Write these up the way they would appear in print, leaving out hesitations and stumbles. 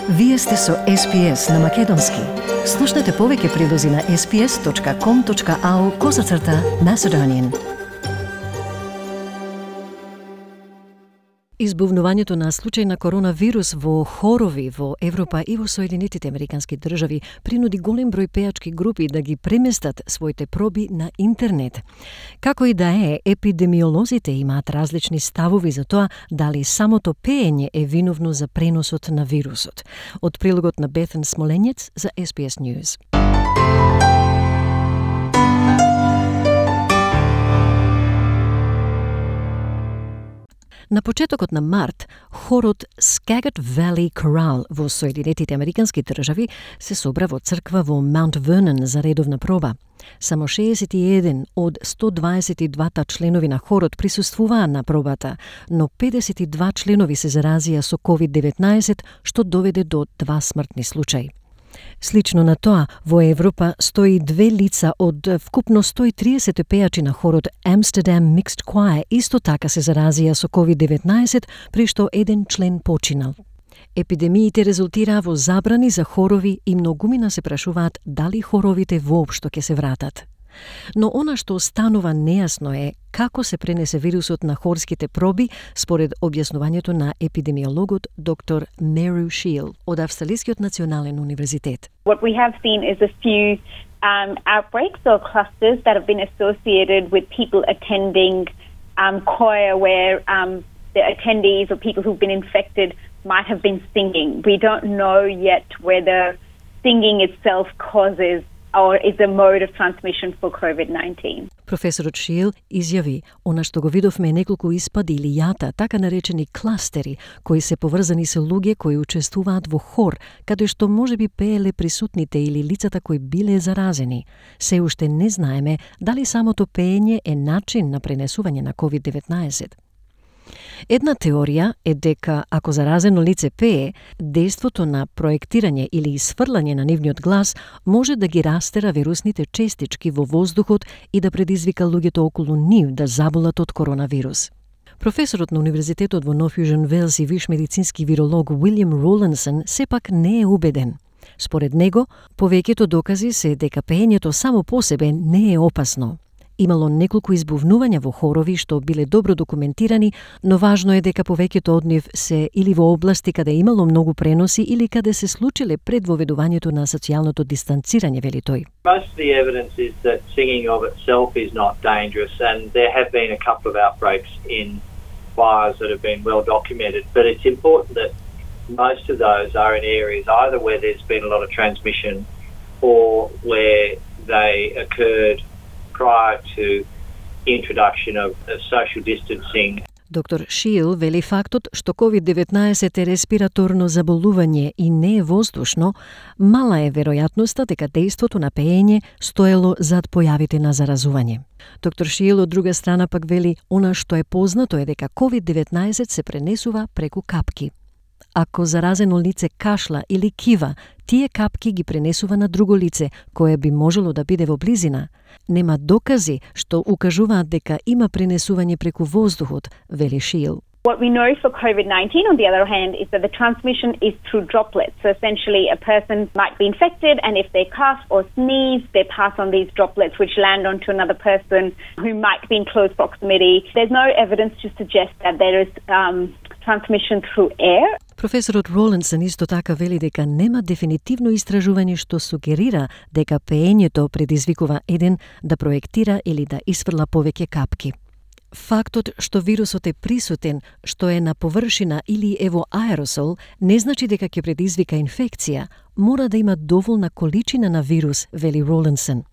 Вие сте со SPS на Македонски. Слушнете повеќе прилози на sps.com.au/Macedonian. Избувнувањето на случај на коронавирус во хорови во Европа и во Соединетите Американски држави принуди голем број пејачки групи да ги преместат своите проби на интернет. Како и да е, епидемиолозите имаат различни ставови за тоа дали самото пеење е виновно за преносот на вирусот. Од прилогот на Бетен Смоленец за SPS News. На почетокот на март, хорот Skagit Valley Chorale во Соединетите Американски држави се собра во црква во Mount Vernon за редовна проба. Само 61 од 122 членови на хорот присуствуваа на пробата, но 52 членови се заразија со COVID-19, што доведе до 2 смртни случаи. Слично на тоа, во Европа 102 лица од вкупно 130 пејачи на хорот Amsterdam Mixed Choir исто така се заразија со COVID-19, при што еден член починал. Епидемиите резултираа во забрани за хорови и многумина се прашуваат дали хоровите воопшто ќе се вратат. Но она што станува нејасно е како се пренесе вирусот на хорските проби според објаснувањето на епидемиологот доктор Meru Shiel од Австралискиот национален универзитет. What we have seen is a few outbreaks or clusters that have been associated with people attending choir where the attendees or people who've been infected might have been singing. We don't know yet whether singing itself causes or is a mode of transmission for COVID-19. Професорот Шиел изјави, она што го видовме неколку испади или јата, така наречени кластери, кои се поврзани со луѓе кои учествуваат во хор, каде што можеби пееле присутните или лицата кои биле заразени. Се уште не знаеме дали самото пеење е начин на пренесување на COVID-19. Една теорија е дека ако заразено лице пее, дејството на проектирање или исфрлање на нивниот глас може да ги растера вирусните честички во воздухот и да предизвика луѓето околу нив да заболат од коронавирус. Професорот на Универзитетот во Нов Јужен Велс и виш медицински виролог Уилјам Ролинсон сепак не е убеден. Според него, повеќето докази се дека пеењето само по себе не е опасно. Имало неколку избувнувања во хорови што биле добро документирани, но важно е дека повеќето од нив се или во области каде имало многу преноси или каде се случиле пред воведувањето на социјалното дистанцирање, вели тој. Most of the evidence is that singing of itself is not dangerous, and there have been a couple of outbreaks in choirs that have been well documented, but it's important that most of those are in areas either where there's been a lot of transmission or where they occurred prior to introduction of social distancing. Доктор Шиел вели фактот што COVID-19 е респираторно заболување и не е воздушно, мала е веројатноста дека дејството на пеење стоело зад појавите на заразување. Доктор Шиел од друга страна пак вели она што е познато е дека COVID-19 се пренесува преку капки. Ако заразено лице кашла или кива, тие капки ги пренесува на друго лице, кое би можело да биде во близина. Нема докази што укажуваат дека има пренесување преку воздухот, вели Шиел. What we know for COVID-19, on the other hand, is that the transmission is through droplets. So essentially, a person might be infected, and if they cough or sneeze, they pass on these droplets, which land onto another person who might be in close proximity. There's no evidence to suggest that there is transmission through air. Професорот Ролинсон исто така вели дека нема дефинитивно истражување што сугерира дека пеењето предизвикува еден да проектира или да исфрла повеќе капки. Фактот што вирусот е присутен, што е на површина или е во аеросол, не значи дека ќе предизвика инфекција, мора да има доволна количина на вирус, вели Ролинсон.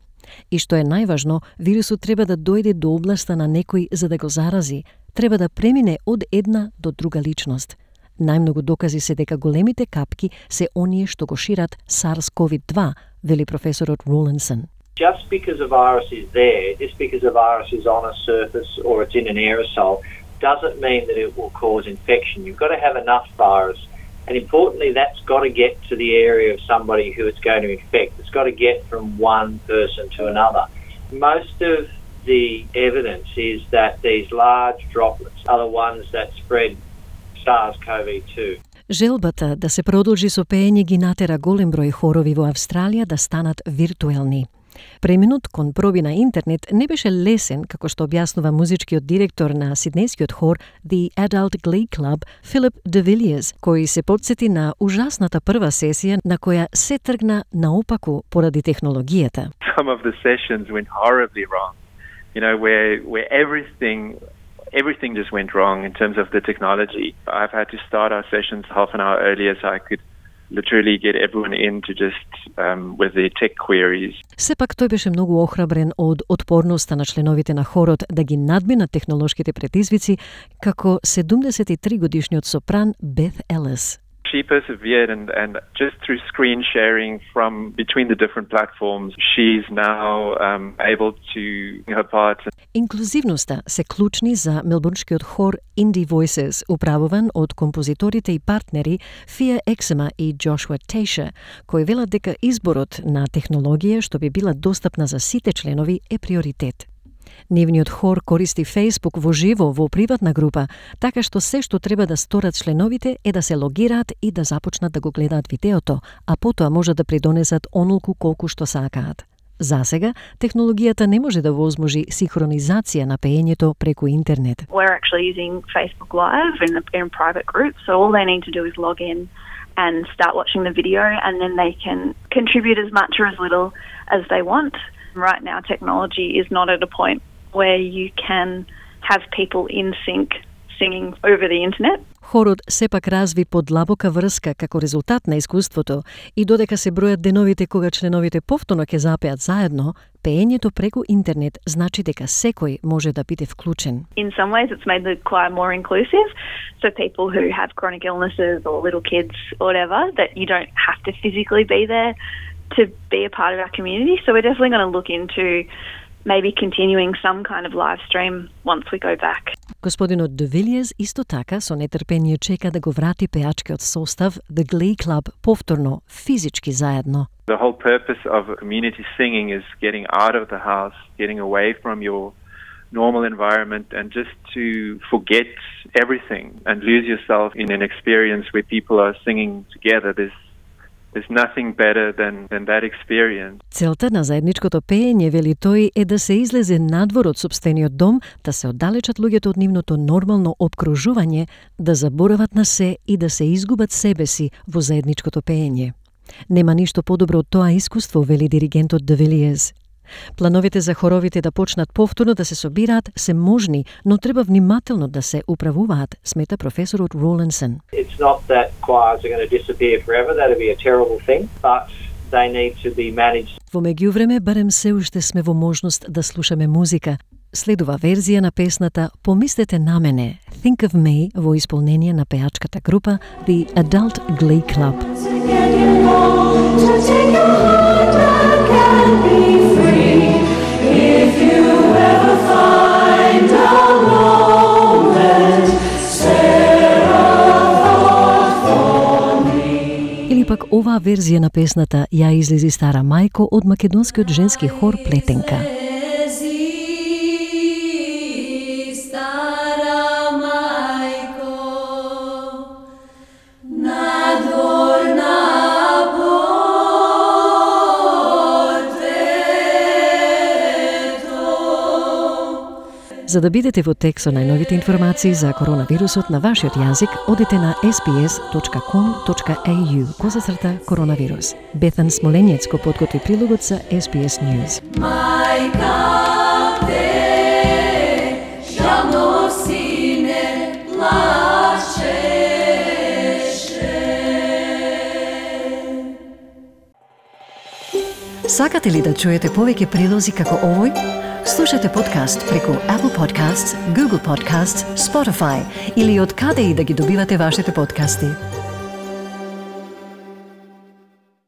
И што е најважно, вирусот треба да дојде до областа на некој за да го зарази, треба да премине од една до друга личност. Најмногу докази се дека големите капки се оние што го шират SARS-CoV-2, вели професорот Ролинсон. Just because a virus is there, just because a virus is on a surface or it's in an aerosol, doesn't mean that it will cause infection. You've got to have enough virus. And importantly, that's got to get to the area of somebody who it's going to infect. It's got to get from one person to another. Most of the evidence is that these large droplets are the ones that spread SARS-CoV-2. Желбата да се продолжи со пеење ги натера голем број хорови во Австралија да станат виртуелни. Преминут кон проби на интернет не беше лесен, како што објаснува музичкиот директор на сиднејскиот хор The Adult Glee Club, Philip de Villiers, кој се потсети на ужасната прва сесија на која се тргна наопаку поради технологијата. Some of the sessions went horribly wrong. You know, where everything just went wrong in terms of the technology. I've had to start our sessions half an hour earlier so I could literally get everyone in to just with their tech queries. Сепак тој беше многу охрабрен од отпорноста на членовите на хорот да ги надминат технолошките предизвици, како 73-годишниот сопран Beth Ellis. She persevered and just through screen sharing from between the different platforms, she's now able to her parts. Инклузивноста се клучни за мелбурнскиот хор Indie Voices, управуван од композиторите и партнери Fia Exema и Joshua Tasha, кои велат дека изборот на технологија што би била достапна за сите членови е приоритет. Нивниот хор користи Facebook во живо во приватна група, така што се што треба да сторат членовите е да се логираат и да започнат да го гледаат видеото, а потоа може да придонесат онолку колку што сакаат. Засега, технологијата не може да возможи синхронизација на пеењето преку интернет. We're actually using Facebook Live in private groups, so all they need to do is log in and start watching the video, and then they can contribute as much or as little as they want. Right now, technology is not at a point where you can have people in sync singing over the internet. Хорот сепак разви подлабока врска како резултат на искуството и додека се бројат деновите кога членовите повторно ќе запеат заедно, пеењето преку интернет значи дека секој може да биде вклучен. In some ways it's made the choir more inclusive, so people who have chronic illnesses or little kids or whatever, that you don't have to physically be there to be a part of our community. So we're definitely going to look into maybe continuing some kind of live stream once we go back. Господинот de Villiers исто така со нетрпение чека да го врати пеачкиот состав The Glee Club повторно, физички заедно. The whole purpose of community singing is getting out of the house, getting away from your normal environment and just to forget everything and lose yourself in an experience where people are singing together. There's nothing better than that experience. Целта на заедничкото пеење, вели тој, е да се излезе надвор од сопствениот дом, да се оддалечат луѓето од нивното нормално опкружување, да заборават на се и да се изгубат себе си во заедничкото пеење. Нема ништо подобро од тоа искуство, вели диригентот de Villiers. Плановите за хоровите да почнат повторно да се собираат се можни, но треба внимателно да се управуваат, смета професорот Rawlinson. It's not that choirs are going to disappear forever. That'd be a terrible thing, but they need to be managed. Во меѓувреме, барем се уште сме во можност да слушаме музика. Следува верзија на песната Помислете на мене, Think of Me, во исполнение на пеачката група The Adult Glee Club. Или пак оваа верзија на песната ја излези стара мајко од македонскиот женски хор Плетенка. За да бидете во тек со најновите информации за коронавирусот на вашиот јазик, одите на sbs.com.au/коронавирус. Бетан Смоленец го подготви прилогот за SBS News. Сакате ли да чуете повеќе прилози како овој? Слушате подкаст преку Apple Podcasts, Google Podcasts, Spotify или од каде и да ги добивате вашите подкасти.